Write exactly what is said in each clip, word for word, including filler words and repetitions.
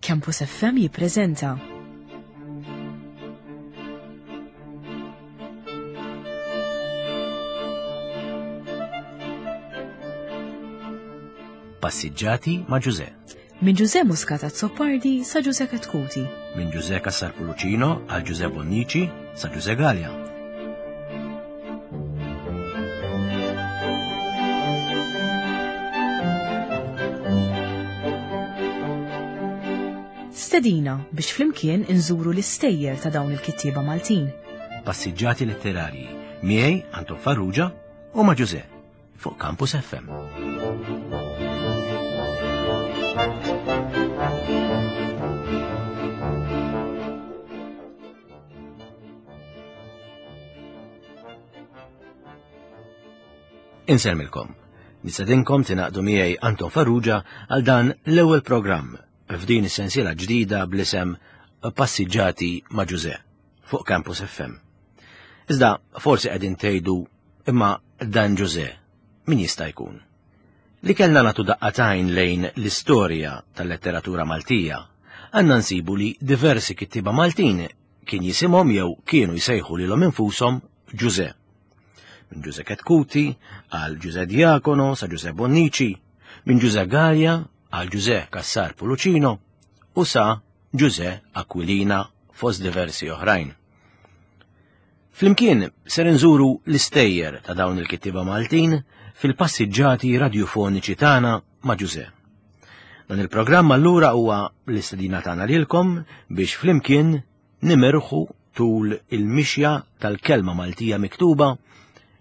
Campus F M jippreżenta Passiġġati ma' Ġuże. Minn Ġuże Muscat Azzopardi sa Ġuże Chetcuti. Minn Ġuże Cassar Pullicino għal Ġuże Bonnici sa Ġuże Galea. Stedina biex flimkien inżuru l-istejjer ta' dawn il-kittieba Maltin. Passiġġati letterarji miegħi Anton Farrugia u ma' Ġuże fuq Campus F M. Insellmilkom. Nistedinkom tingħaqdu miegħi Anton Farrugia għal dan l-ewwel programm f'din is-sensiela ġdida bl-isem Passiġġati ma' Ġuże fuq Campus F M. Iżda forsi qegħdin tgħidu, imma dan Ġuże min jista' jkun? Li kellna nagħtu daqqa t'għajn lejn l-istorja tal-letteratura Maltija, għandna nsibu li diversi kittieba Maltin kien jisimhom jew kienu jsejħu lilhom infushom Ġuże. Minn Ġuże Chetcuti għal Ġuże Diacono sa Ġuże Bonnici, minn Ġuże Galea għal Ġuże Cassar Pullicino u sa Ġuże Aquilina fost diversi oħrajn. Flimkien ser nżuru l-istejjer ta' dawn il-kittieba Maltin fil-passiġġati radjofoniċi tagħna ma' Ġuże. Dan il-programm allura huwa l-istedina tagħna lilkom biex flimkien nimirħu tul il-mixja tal-kelma Maltija miktuba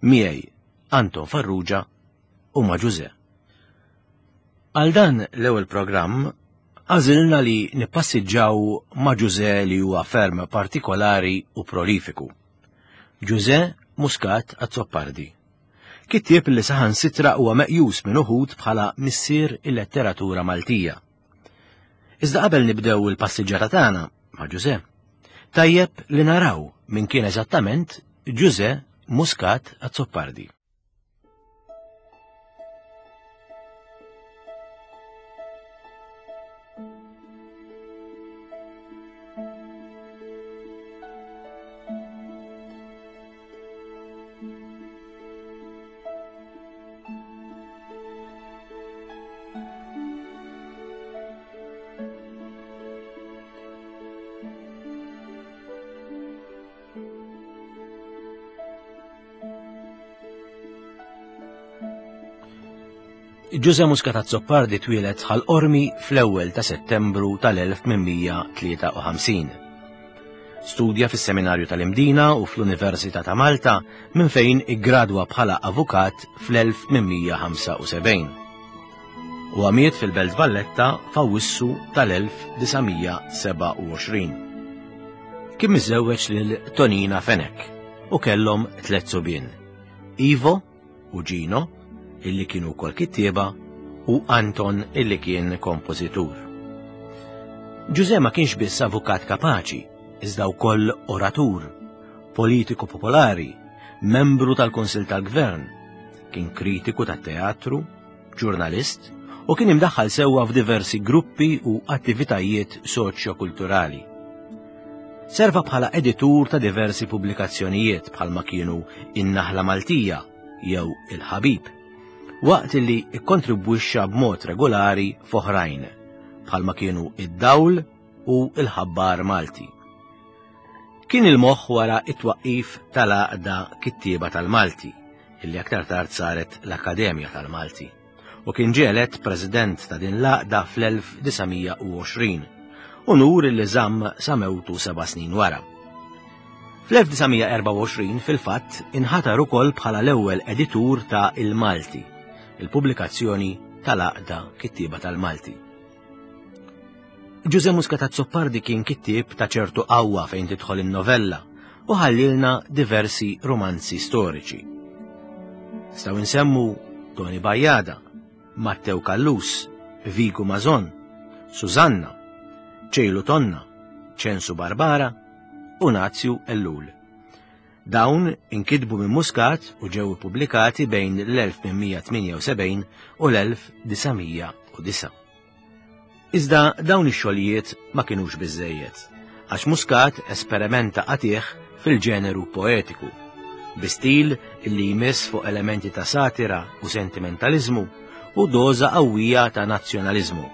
miegħi Anton Farrugia u ma' Ġuże. Għal dan l-ewwel programm għażilna li nippassiġġaw ma' Ġuże li huwa ferm partikolari u prolifiku. Ġuże Muscat Azzopardi. Kittieb li saħansitra huwa meqjus minn uħud bħala missier il-letteratura Maltija. Iżda qabel nibdew il-passiġġata tagħna ma' Ġuże, tajjeb li naraw min kien eżattament Ġuże Muscat Azzopardi. Ġuże Muscat Azzopardi twieled Ħal Qormi fl-ewwel ta' Settembru tal-elf tmien mija tlieta u ħamsin. Studja fis-Seminarju tal-Imdina u fl-Università ta' Malta minn fejn iggradwa bħala avukat fl-elf tmien mija ħamsa u sebgħin. U miet fil-Belt Valletta f'Awwissu tal-elf disa' mija sebgħa u għoxrin. Kien miżżewweġ lil Tonina Fenech u kellhom tliet subien, Ivo u Gino, illi kienu wkoll kittieba, u Anton illi kien kompożitur. Ġuże ma kienx biss avukat kapaċi, iżda wkoll oratur, politiku popolari, membru tal-Kunsill tal-Gvern, kien kritiku tat-teatru, ġurnalist u kien imdaħħal sewwa f'diversi gruppi u attivitajiet soċjo-kulturali. Serva bħala editur ta' diversi pubblikazzjonijiet bħalma kienu In-Naħla Maltija jew Il-Ħabib, waqt li ikkontribwixxa b'mod regolari f'oħrajn bħalma kienu Id-Dawl u Il-Ħabbar Malti. Kien il-moħħ wara it-twaqqif tal-Għaqda Kittieba tal-Malti, illi aktar tard saret l-Akkademja tal-Malti, u kien ġie elett president ta' din l-għaqda fl-elf disa' mija u għoxrin, unur li żamm sa mewtu seba' snin wara. Fl-elf disa' mija erbgħa u għoxrin fil-fatt inħatar ukoll bħala l-ewwel editur ta' Il-Malti, il-pubblikazzjoni tal-Għaqda Kittieba tal-Malti. Ġuże Muscat Azzopardi kien kittieb ta' ċertu qawwa fejn tidħol in-novella u ħallilna diversi romanzi storiċi. Nistgħu nsemmu Toni Bajada, Mattew Callus, Vigu Mażon, Susanna, Ċejlu Tonna, Ċensu Barbara u Nazju Ellul. Dawn inkitbu minn Muscat u ġew ippubblikati bejn l-elf tmien mija tmienja u sebgħin u l-elf disa' mija u disa'. Iżda dawn ix-xogħlijiet ma kinux biżejjed, għax Muscat esperimenta qatih fil-ġeneru poetiku, bi stil illi jmiss fuq elementi ta' satira u sentimentalizmu u doża qawwija ta' nazzjonaliżmu.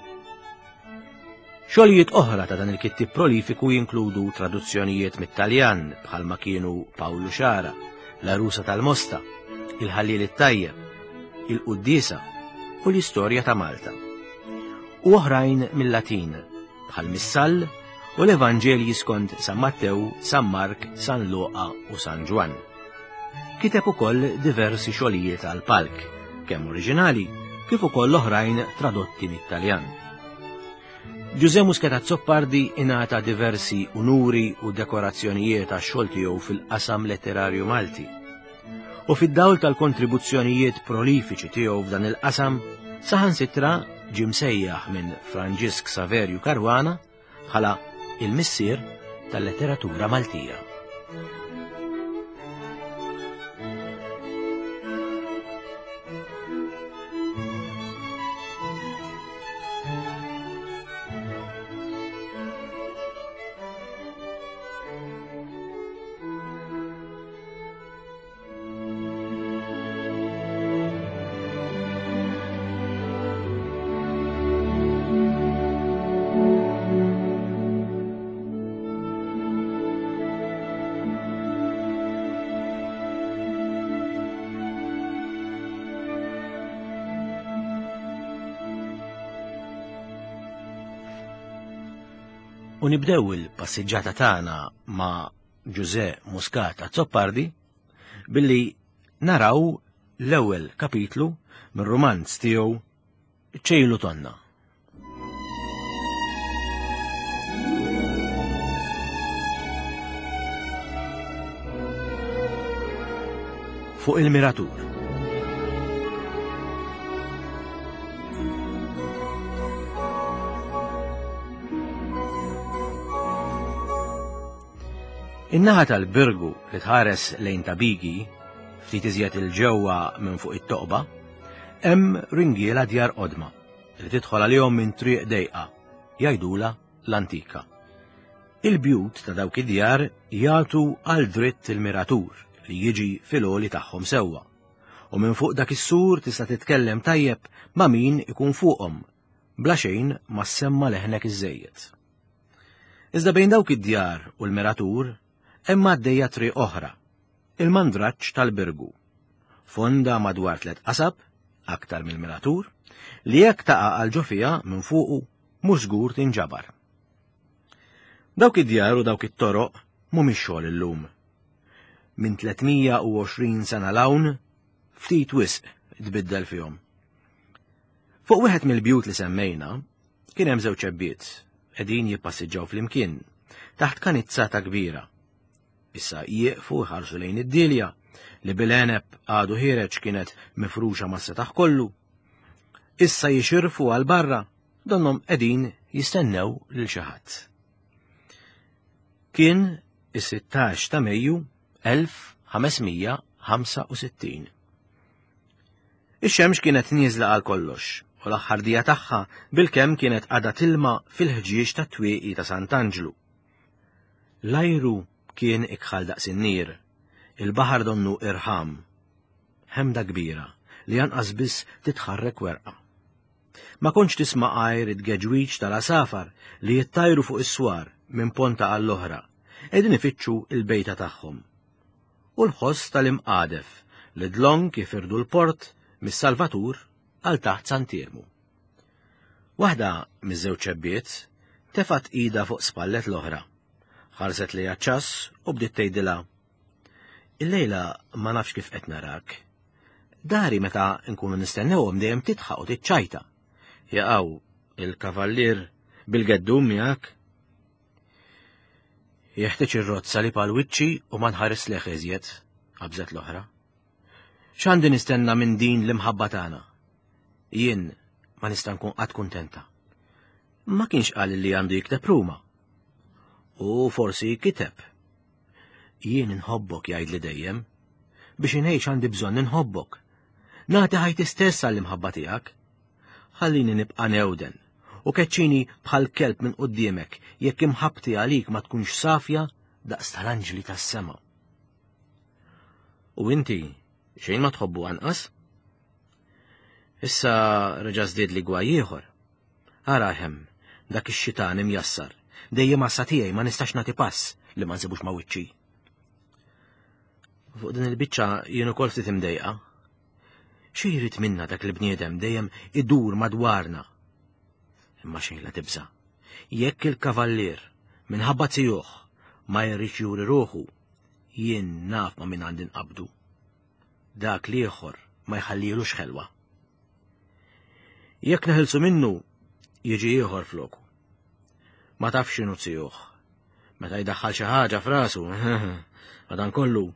Xogħlijiet oħra ta' dan il-kittieb prolifiku jinkludu traduzzjonijiet mit-Taljan bħalma kienu Pawlu Xara, l-Arusa tal-Mosta, il-Ħallil it-Tajjeb, il-Quddiesa u l-Istorja ta' Malta. U oħrajn mill-Latin bħal Missal u l-Evanġelji skont San Mattew, San Mark, San Luqa u San Ġwann. Kiteb ukoll diversi xogħlijiet għal palk, kemm oriġinali kif ukoll oħrajn tradotti mit-Taljan. Ġużè Muscat Azzopardi ingħata diversi unuri u dekorazzjonijiet għax-xogħol tiegħu fil-qasam letterarju Malti. U fid-dawl tal-kontribuzzjonijiet prolifiċi tiegħu f'dan il-qasam, saħansitra ġie msejjaħ minn Franġisk Saverju Caruana bħala il-missier tal-letteratura Maltija. U nibdew il-passiġġata tagħna ma' Ġużè Muscat Azzopardi billi naraw l-ewwel kapitlu mir-rumanz tiegħu Ċejlu Tonna. Fuq il-Miratur. In-naħa tal-Birgu li tħares lejn Tabigi, ftit iżjed il-ġewwa minn fuq it-toqba, hemm ringiela djar qodma li tidħol għalihom minn triq dejqa, jgħidula l-antika. Il-bjut ta' dawk id-djar jagħtu għal dritt il-miratur li jiġi fil-għoli tagħhom sewwa. U minn fuq dak is-sur tista' titkellem tajjeb ma' min ikun fuqhom, bla xejn ma ssemma leħnek iżejjed. Iżda bejn dawk id-djar u l-miratur hemm għaddejja triq oħra, il-mandraġġ tal-Birgu, fonda madwar tliet qasab, aktar mill-miratur, li jekk taqa' għal ġo fiha minn fuqu mhux żgur tinġabar. Dawk id-djar u dawk it-toroq mhumiex xogħol illum. Minn tliet mija u għoxrin sena l-hawn ftit wisq tbiddel fihom. Fuq wieħed mill-bjut li semmejna kien hemm żewġ ċebbiet qegħdin jippassiġġaw flimkien taħt kanizzata kbira. Issa jieqfu jħarsu lejn id-dilja li bil-għeneb għadu ħiereġ kienet mifruxa mas-setaħ kollu. Issa jixirfu għal barra donhom qegħdin jistennew lil xi ħadd. Kien is-sittax ta' Mejju elf ħamesmija ħamsa u sittin. Ix-xemx kienet nieżla għal kollox u l-aħħar dija tagħha bilkemm kienet għadha tilma fil-ħġieġ tat-twieqi ta' Sant'Anġlu. L-ajru kien ikħal daqs in-nir, il-baħar donnu irħam, ħemda kbira li anqas biss titħarrek werqa. Ma kontx tisma' għajr it-tgeġwiġ tal-asafar li jittajru fuq is-swar minn ponta għall-oħra, qegħdin ifittxu l-bejta tagħhom. U l-ħoss tal-imqadef li dlonk jifirdu l-port mis-Salvatur għal taħt Sant'Iermu. Waħda miż-żewġ ċebbiet tefat ida fuq spallet l-oħra, ħarset lejha ċass u bdiet tgħidilha: Illejla ma nafx kif qed narak. Dari meta nkunu nistennewhom dejjem titħaq u tiċċajta. Jaqgħu il-kavallier bil-geddum miegħek. Jeħtieġ ir-rozza li pal wiċċi u ma nħares leħ iżjed, qabżet l-oħra. X'għandi nistenna minn din l-imħabba tagħna? Jien ma nista' nkun qatt kuntenta. Ma kienx qal li għandu jikteb Ruma. U forsi kiteb. Jien inħobbok jgħidli dejjem. Biex inħejx għandi bżonn inħobbok. Nagħti ħajti stess għall-imħabba tiegħek. Ħallini nibqa' newden u keċċini bħal kelb minn quddiemek jekk imħabbti għalik ma tkunx safja daqs tal-anġli tas-sema. U inti xejn ma tħobbu anqas? Issa reġa' żdied li gwaj ieħor. Ara hemm dak ix-xitan imjassar, dejjem għassa tiegħi ma nistax nagħti pass li ma nsibux ma' wiċċi. Fuq din il-biċċa jien ukoll ftit imdejqa. Xi jrid minna dak il-bniedem dejjem idur madwarna? Imma xejn la tibża'. Jekk il-kavallier minħabba tijuh ma jridx juri ruħu, jien naf ma' min għandi nqabdu. Dak l-ieħor ma jħallilux ħelwa. Jekk neħilsu minnu, jiġi ieħor floku. Ma tafx x'inhu tijuh. Meta jdaħħal xi ħaġa f'rasu, madankollu,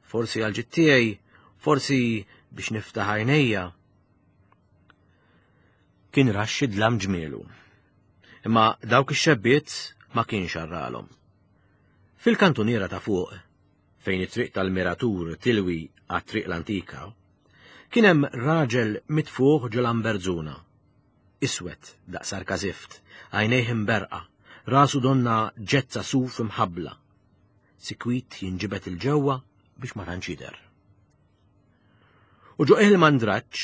forsi għal ġid tiegħi, forsi biex niftaħ għajnejja. Kien raxx id-dlam ġmielu. Imma dawk ix-xebbiet ma kienx arralhom. Fil-kantuniera ta' fuq, fejn it-triq tal-Miratur tilwi għat-triq l-antika, kien hemm raġel mitfuħ ġo lamberzuna. Iswed daqs arkażift, għajnejh imberqa, rasu donna ġezza suf imħabbla. Sikwit jinġibed il-ġewwa biex ma tantx jidher. U ġo il-mandraġġ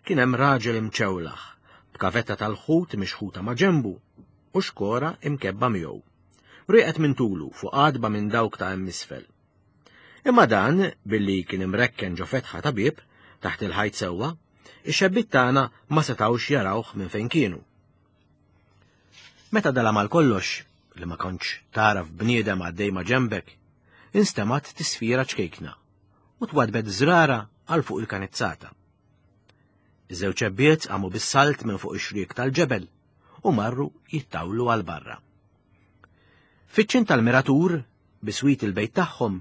kien hemm raġel imċewlaħ, b'kavetta tal-ħut mixħuta ma' ġenbu u xkora imkebba miegħu. Rieqet minn tulu fuq għadba minn dawk ta' hemm isfel. Imma dan, billi kien imrekken ġo fetħa ta' bieb taħt il-ħajt sewwa, ix-xebbiet tagħna ma setgħux jarawh minn fejn kienu. Meta dalam għal kollox, li ma kontx taraf bniedem għaddej ma' ġenbek, instemgħet tisfira ċkejkna u twadbet żrara għal fuq il-kanizzata. Iż-żewġ xebbiet qamu bis-salt minn fuq ix-xriek tal-ġebel u marru jittawlu għal barra. Fiċ-ċint tal-Miratur, biswit il-bejt tagħhom,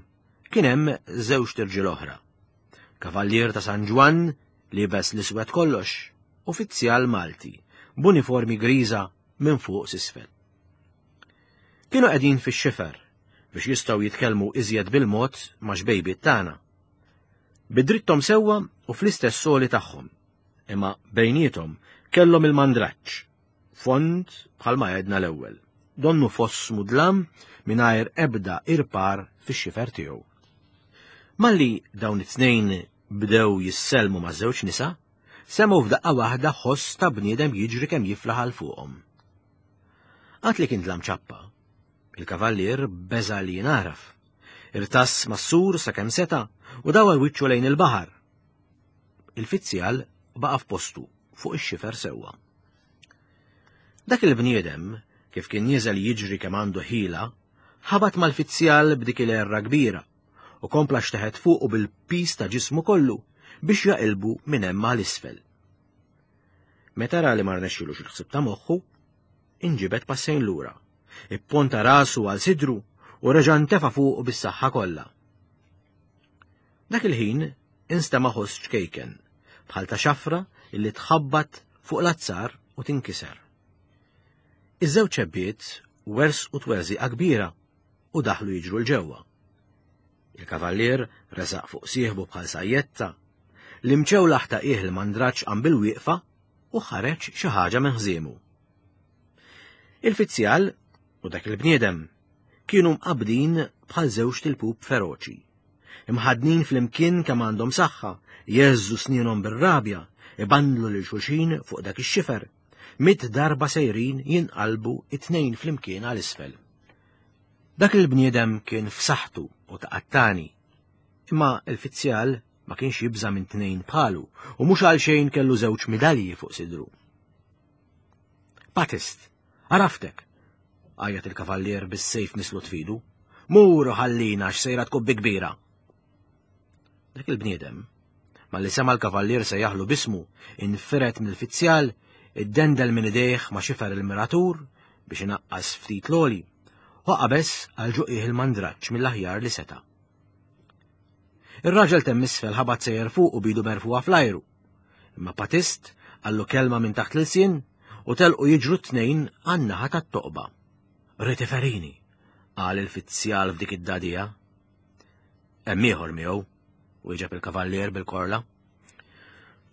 kien hemm żewġ tirġiel oħra. Kavallier ta' San Ġwann libes l-iswed kollox, uffiċjal Malti, b'uniformi griża minn fuq s'isfel. Kienu qegħdin fix-xifer biex jistgħu jitkellmu iżjed bil-mod ma' xbejbiet tagħna. Bidrittom sewwa u fl-istess soli tagħhom, imma bejniethom kellhom il-mandraġġ, fond bħalma għedna l-ewwel, donnu foss mudlam mingħajr ebda irpar fix-xifer tiegħu. Malli dawn it-tnejn bdew jissellmu ma' żewġ nisa, semgħu f'daqqa waħda ħoss ta' bniedem jiġri kemm jiflaħ għal fuqhom. Għad li kien dlam ċappa, il-kavallier beża' li jingħaraf. Irtass mas-sur sakemm seta' u dawar wiċċu lejn il-baħar. Il-fizzjal baqa' f'postu fuq ix-xifer sewwa. Dak il-bniedem, kif kien nieżel jiġri kemm għandu ħila, ħabat mal-fizzjal b'dik il-erra kbira u kompla xteħet fuqu bil-pis ta' ġismu kollu biex jaqilbu minn hemm għal isfel. Meta ra li ma rnexxilux il-ħsieb ta' moħħu, inġibed passejn lura, ipponta rasu għal sidru u reġa' ntefa' fuqu bis-saħħa kollha. Dak il-ħin instema' ħoss ċkejken, bħal ta' xafra illi tħabbat fuq l-azzar u tinkiser. Iż-żewġ ċebbiet wersqu twerżiqa kbira u daħlu jiġru l-ġewwa. Il-kavallier resaq fuq sieħbu bħal sajjetta, l-imċewlaħ ta' qiegħ il-mandraġġ qam bil-wieqfa u ħareġ xi ħaġa minn ħżiemu. Il-fizzjal u dak il-bniedem kienu mqabbdin bħal żewġ tilpup feroċi. Imħadnin flimkien kemm għandhom saħħa, jeżżu snienhom bir-rabja, ibandlu lil xulxin fuq dak ix-xifer, mitt darba sejrin jinqalbu it-tnejn flimkien għal isfel. Dak il-bniedem kien f'saħħtu u taqattani, imma l-fizzjal ma kienx jibża' minn tnejn bħalu u mhux għal xejn kellu żewġ midalji fuq sidru. Patist, għaraftek, għajjat il-kavallier bis-sejf mislut fidu. Mur u ħallina x'sejra tkun bi kbira. Dak il-bniedem, malli sema l-kavallier se jaħlu bismu, infiret mill-fizzjal, iddendel minn idejh ma' xifer il-miratur biex inaqqas ftit l-oli, u qabeż għal ġuqieh il-mandraġġ mill-aħjar li seta'. Ir-raġel temm isfel ħabat sejjer fuq u bidu merfuha fl-ajru. Imma Patist qallu kelma minn taħt l-ilsien u telqu jiġru t-tnejn għan-naħa tat-toqba. Ritiferini, qal il-fizzjal f'dik id-dadija. Hemm ieħor miegħu, wieġeb il-kavallier bil-korla.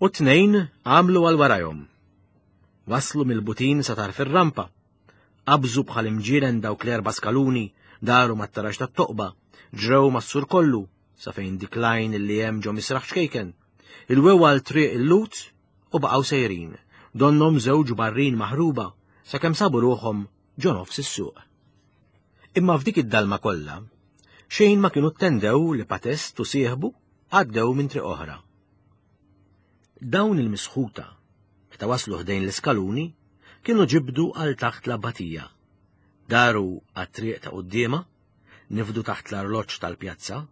U t-tnejn għamlu għal warajhom. Waslu mill-butin sa tarf ir-rampa. Qabżu bħal imġielen dawk l-erba' skaluni, daru mat-taraġ tat-toqba, ġrew mas-sur kollu sa fejn dik l-għajn li hemm ġo misraħ ċkejken. Ilwew għal triq il-Lut u baqgħu sejrin, donnhom żewġ barrin maħruba sakemm sabu ruħhom ġo nofs is-suq. Imma f'dik id-dalma kollha, xejn ma kienu ttendew li Patest u sieħbu għaddew minn triq oħra. Dawn il-misħuta, meta waslu ħdejn l-iskaluni, kienu ġibdu għal taħt l-abbatija. Daru għat-triq ta' quddiemha, nifdu taħt l-arloġġ tal-pjazza,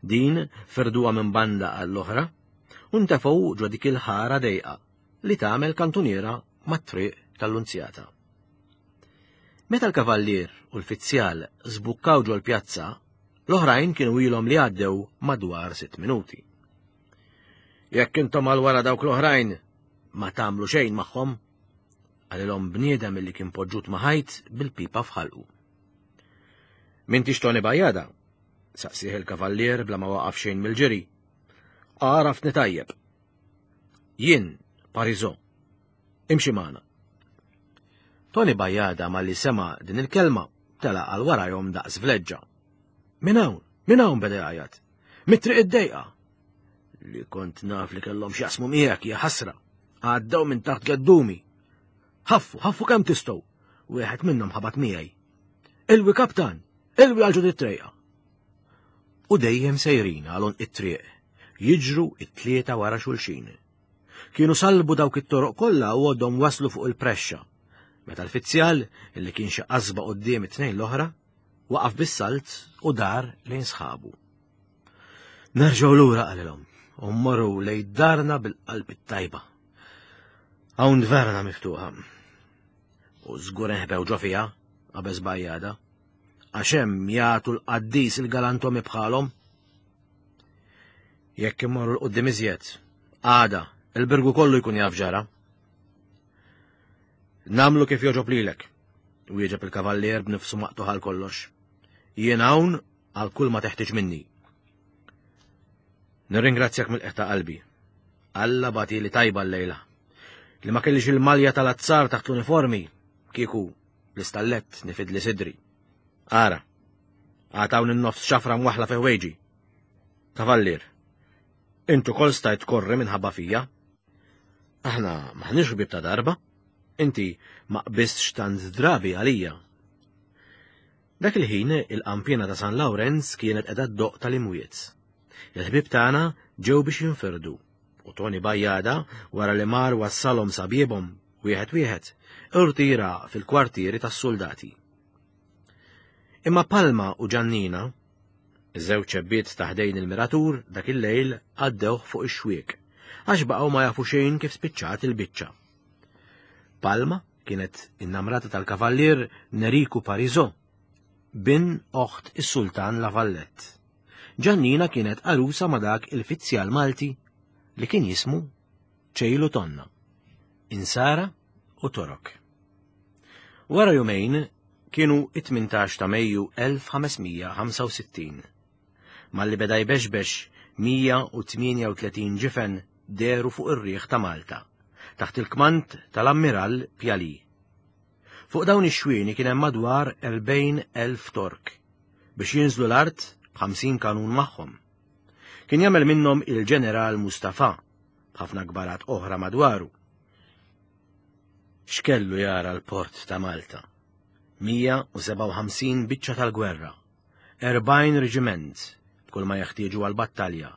din ferduha minn banda għall-oħra, u ntefgħu ġo dik il-ħara dejqa li tagħmel kantuniera mat-triq tal-Lunzjata. Meta l-kavallier u l-fizzjal żbukkaw ġol pjazza, l-oħrajn kienu ilhom li għaddew madwar sitt minuti. Jekk intom għal wara dawk l-oħrajn ma tagħmlu xejn magħhom, qalilhom bniedem li kien poġġut ma' ħajt bil-pipa f'ħalqu. M'intix Toni Bajada? Saqsih il-kavallier bla ma waqaf xejn mill-ġiri. Għaraftni tajjeb. Jien, Parisot. Imxi magħna. Toni Bajada malli sema' din il-kelma tela' għal warajhom daqs vleġġa. Min hawn, min hawn beda jgħajjat. Mit-triq id-dejqa. Li kont naf li kellhom x'jaqsmu miegħek hija ħasra. Għaddew minn taħt geddumi. Ħaffu, ħaffu kemm tistgħu. Wieħed minnhom ħabat miegħi. Ilwi kaptan, ilwi għal ġod it-trejqa. U dejjem sejrin għal għonq it-triq, jiġru it-tlieta wara xulxin. Kienu salbu dawk it-toroq kollha u għoddhom waslu fuq il-prexxa. Meta l-fizzjal, illi kien xi qasba quddiem it-tnejn l-oħra, waqaf bis-salt u dar lejn sħabu. Nerġgħu lura qalilhom u mmorru lejn darna bil-qalb it-tajba. Hawn dverna miftuħa. U żgur inħbew ġo fiha, qabeż Bajada, għax hemm jagħtu l-qaddis il-galantomi bħalhom. Jekk immorru l-qudiem iżjed, għada il-birgu kollu jkun jaf ġara. Namlu kif joġob lilek, wieġeb il-kavallier b'nifsu maqtuħ għal kollox. Jien hawn għal kull ma teħtieġ minni. Nirringrazzjak mill-qiegħ ta' qalbi. Alla bagħtili tajba l-lejla. Li ma kellix il-malja tal-azzar taħt l-uniformi, kieku l-istallett nifidli sidri. Ara, għad hawn in-nofs xafra mwaħla fi ħwejġi. Kavallier, intu kol stajt tkorri minħabba fija. Aħna maħniex ħbieb ta' darba. Inti ma qbistx tant drabi għalija. Dak il-ħin il-qampjena ta' San Lawrenz kienet qiegħda ddoq tal-imwiet. Il-ħbieb tagħna ġew biex jinfirdu u Toni Bajada wara li mar wassalhom sabiebhom wieħed wieħed irtira fil-kwartieri tas-soldati. Imma Palma u Ġannina, iż-żewġ ċebbiet ta' ħdejn il-miratur dak il-lejl għaddewh fuq ix-xwiek għax baqgħu ma jafu xejn kif spiċċat il-biċċa. Palma kienet innamrata tal-kavallier Neriku Parisot, bin oħt is-sultan La Vallette. Ġannina kienet għarusa ma' dak il-fizzjal Malti li kien jismu Ċejlu Tonna, Insara u Torok. Wara jumejn kienu it-tmintax ta' Mejju elf ħames mija ħamsa u sittin. Malli beda jbexbex mija u tmienja u tletin ġifen deru fuq ir-riħ ta' Malta, taħt il-kmand tal-Ammiral Pjali. Fuq dawn ix-xwieni kien hemm madwar erbgħin elf Tork biex jinżlu l-art b'ħamsin kanun magħhom. Kien jagħmel minnhom il-ġeneral Mustafa b'ħafna kbarat oħra madwaru. X'kellu jara l-port ta' Malta? Mija u sebgħa u ħamsin biċċa tal-gwerra, erbgħin reġiment b'kull ma jeħtieġu għall-battalja,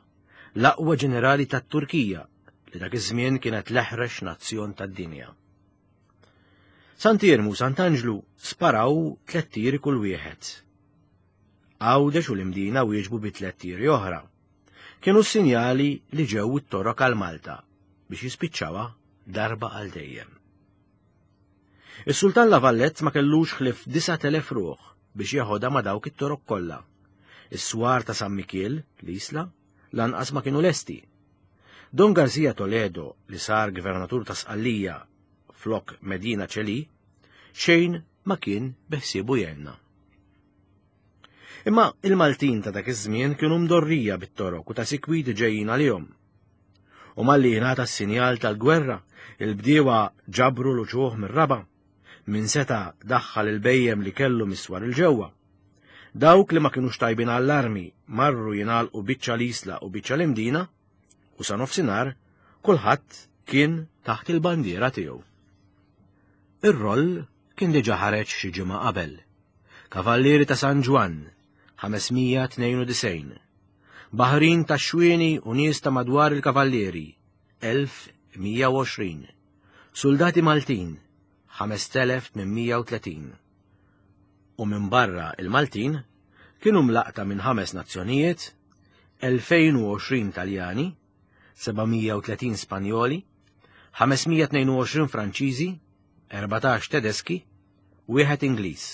l-aqwa ġenerali tat-Turkija li dak iż-żmien kienet l-eħrex nazzjon tad-dinja. Sant'Iermu u Sant'Anġlu sparaw tliet tiri kull wieħed. Għawdex u l-Imdina wieġbu bi tliet tiri oħra. Kienu s-sinjali li ġew it-Torok għal Malta biex jispiċċawha darba għal dejjem. Is-Sultan La Vallette ma kellux ħlief disat elef ruħ biex jeħodha ma' dawk it-Torok kollha. Is-swar ta' San Mikiel, l-Isla, lanqas ma kienu lesti. Don Garcia Toledo, li sar gvernatur ta' Sqallija flok Medina Ċeli, xejn ma kien beħsiebu jenna. Imma il-Maltin ta' dak iż-żmien kienu mdorrija bit-Torok u ta' sikwit ġejjin għalihom. U malli jingħata s-sinjal tal-gwerra, il-bdiewa ġabru l-uċuħ mir-raba', min seta' daħħal il-bejjem li kellu miswar il-ġewwa. Dawk li ma kinux tajbin għall-armi marru jingħalqu biċċa l-Isla u biċċa l-Imdina, u sa nofsinhar kulħadd kien taħt il-bandiera tiegħu. Ir-roll kien diġà ħareġ xi ġimgħa qabel. Kavallieri ta' San Ġwann, ħames mija tnejn u disgħin. Baħrin ta' xwieni u nies ta' madwar il-Kavallieri, elf mija u għoxrin. Soldati Maltin, ħamest elef tmien mija u tletin. U minn barra il-Maltin kienu mlaqta minn ħames nazzjonijiet, elfejn u għoxrin Taljani, seba' mija u tletin Spanjoli, ħames mija tnejn u għoxrin Franċiżi, erbatax Tedeski, wieħed Ingliż.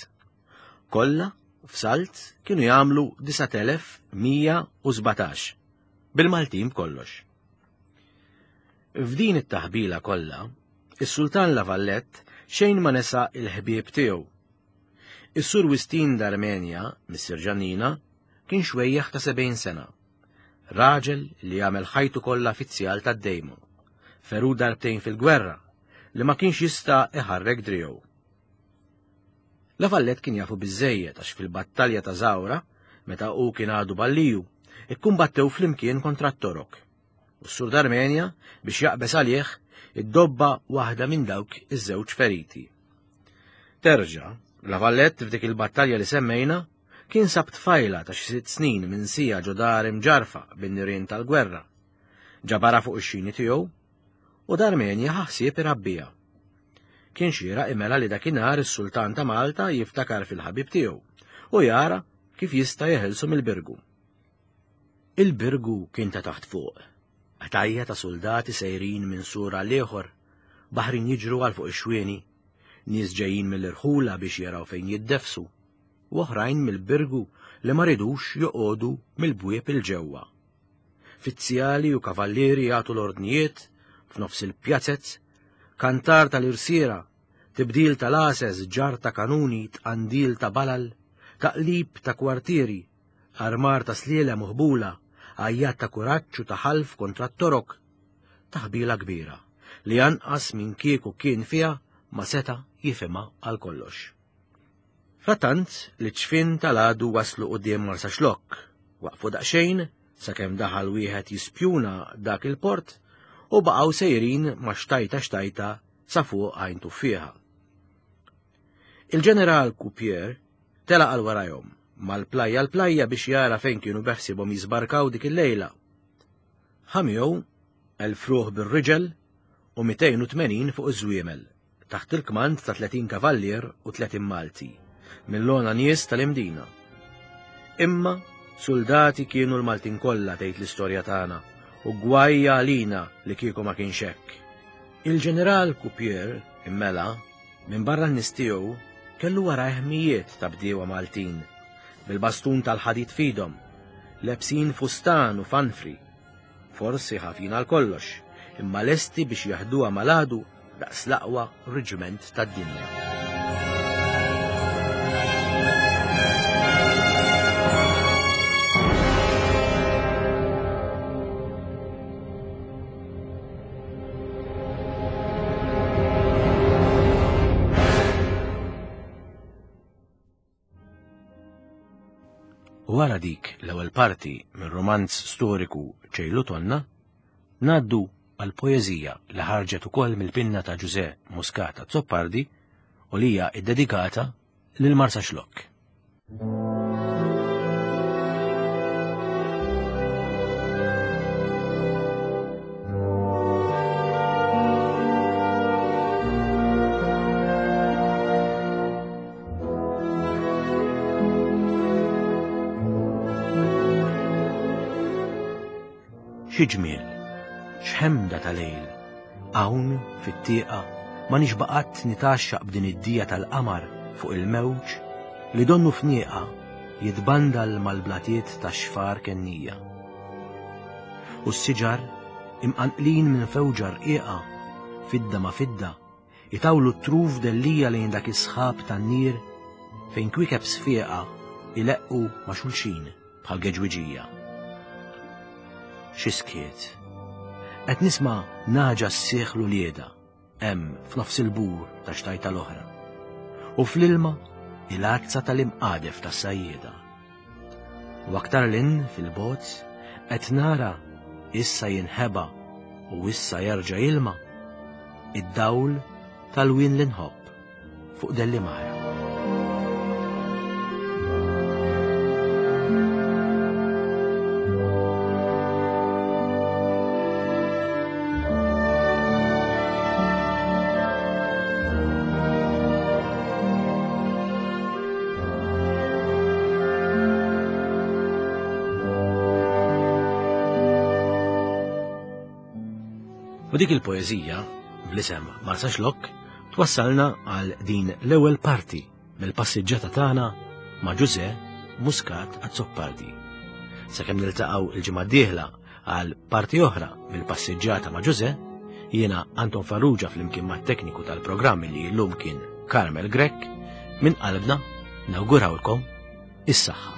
Kollha f'salt kienu jagħmlu disat elef mija u sbatax, bil-Maltin b'kollox. F'din it-taħbila kollha, is-Sultan La Vallette xejn ma nesa il-ħbieb tiegħu. Is-Sur Wistin d'Armenja, Missier Ġannina, kien xwejjaħ ta' sebgħin sena. Raġel li għamel ħajtu kollha fizzjal tad-dejmu. Feru darbtejn fil-gwerra, li ma kienx jista' iħarrek driegħu. La Vallette kien jafu biżżejjed għax fil-battalja ta' Zawra, meta hu kien għadu balliju, ikkumbattew flimkien kontra t-Torok. U s-Sur d'Armenja, biex jaqbes għalih, iddobba waħda minn dawk iż-żewġ feriti. Terġa', La Vallette f'dik il-battalja li semmejna, kien sab tfajla ta' xi sitt snin minn sija ġo dar imġarfa bin-nirien tal-gwerra. Ġabara fuq ix-xini tiegħu u d'Armenja ħaħsieb irabbija. Kien xieraq imela li dakinhar is-Sultan ta' Malta jiftakar fil-ħabib tiegħu u jara kif jista' jeħilsu mill-Birgu. Il-Birgu kien ta' taħt fuq, qtajja ta' soldati sejrin minn sur għal ieħor, baħrin jiġru għal fuq ix-xwieni, nies ġejjin mill-irħula biex jaraw fejn jiddefsu, u oħrajn mill-Birgu li ma ridux joqogħdu mill-bwieb il-ġewwa. Fizzjali u kavallieri jagħtu l-ordnijiet f'nofs il-pjazzez, kantar tal-irsiera, tibdil tal-ases, ġar ta' kanuni, tqandil ta' balal, taqlib ta' kwartieri, armar ta' slielem u ħbula, għajjat ta' kuraġġ u ta' ħalf kontra t-torok. Taħbila kbira li anqas minn kieku kien fiha ma seta' jifhimha għal kollox. Frattant li ċfin tal-għadu waslu quddiem Marsaxlokk, waqfu daqsxejn sakemm daħal wieħed jispjuna dak il-port u baqgħu sejrin ma' xtajta xtajta sa fuq għajn tuffieħa. Il-ġeneral Coupier telaq għal warajhom mal-plajja l-plajja biex jara fejn kienu beħsibhom jiżbarkaw dik il-lejla. Ħamjew elf ruħ bir-riġel u mitejn u tmenin fuq iż-żwiemel, taħt il-kmand ta' tletin kavallier u tletin Malti, mill-lona nies tal-Imdina. Imma soldati kienu l-Maltin kollha tgħid l-istorja tagħna, u gwajja għalina li kieku ma kienx hekk. Il-ġeneral Coupier, immela, minn barra n-nies tiegħu, kellu warajh mijiet ta' bdiewa Maltin, bil-bastun tal-ħadid fidhom, lebsin fustan u fanfri, forsi ħafin għal kollox, imma lesti biex jaħduha mal-għadu daqs l-aqwa reġiment tad-dinja. Wara dik l-ewwel parti minn romanz storiku Ċejlu Tonna, ngħaddu għal poeżija li ħarġet ukoll mill-pinna ta' Ġużè Muscat Azzopardi u li hija ddedikata lil Marsaxlokk. Xi ġmiel, x'ħemda ta' lejl, hawn fit-tieqa ma nixba' qatt nitgħaxxaq b'din id-dija tal-qamar fuq il-mewġ li donnu fnieqa jitbandal mal-blatiet ta' xfar kennija. U s-siġar imqanqlin minn fewġa rqiqa, fidda ma' fidda, itawlu t-truf dellija lejn dak is-sħab tan-nir fejn kwiekeb sfieqa ileqqu ma' xulxin bħal geġwiġija. Xi skiet, Qed nisma' naġa ssieħ l-ulieda hemm f'nofs il-bur ta' xtajta l-oħra. U fl-ilma il-għazza tal-imqadef tas-sajjieda. U aktar lin fil-bozz qed nara issa jinħeba u issa jerġa' jilma id-dawl tal-wien li nħobb fuq Dellimara. U dik il-poeżija, bl-isem Marsaxlokk, twassalna għal din l-ewwel parti mill-passiġġata tagħna ma' Ġużè Muscat Azzopardi. Sakemm niltaqgħu il-ġimgħa d-dieħla għal parti oħra mill-passiġġata ma' Ġużè, jiena Anton Farrugia flimkien mat-tekniku tal-programm li llum kien Carmel Grech, minn qalbna nawgurawlkom is-saħħa.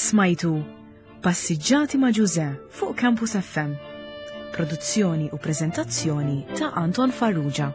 Smajtu Passiġġati ma' Ġużè fuq Campus F M. Produzzjoni u preżentazzjoni ta' Anton Farrugia.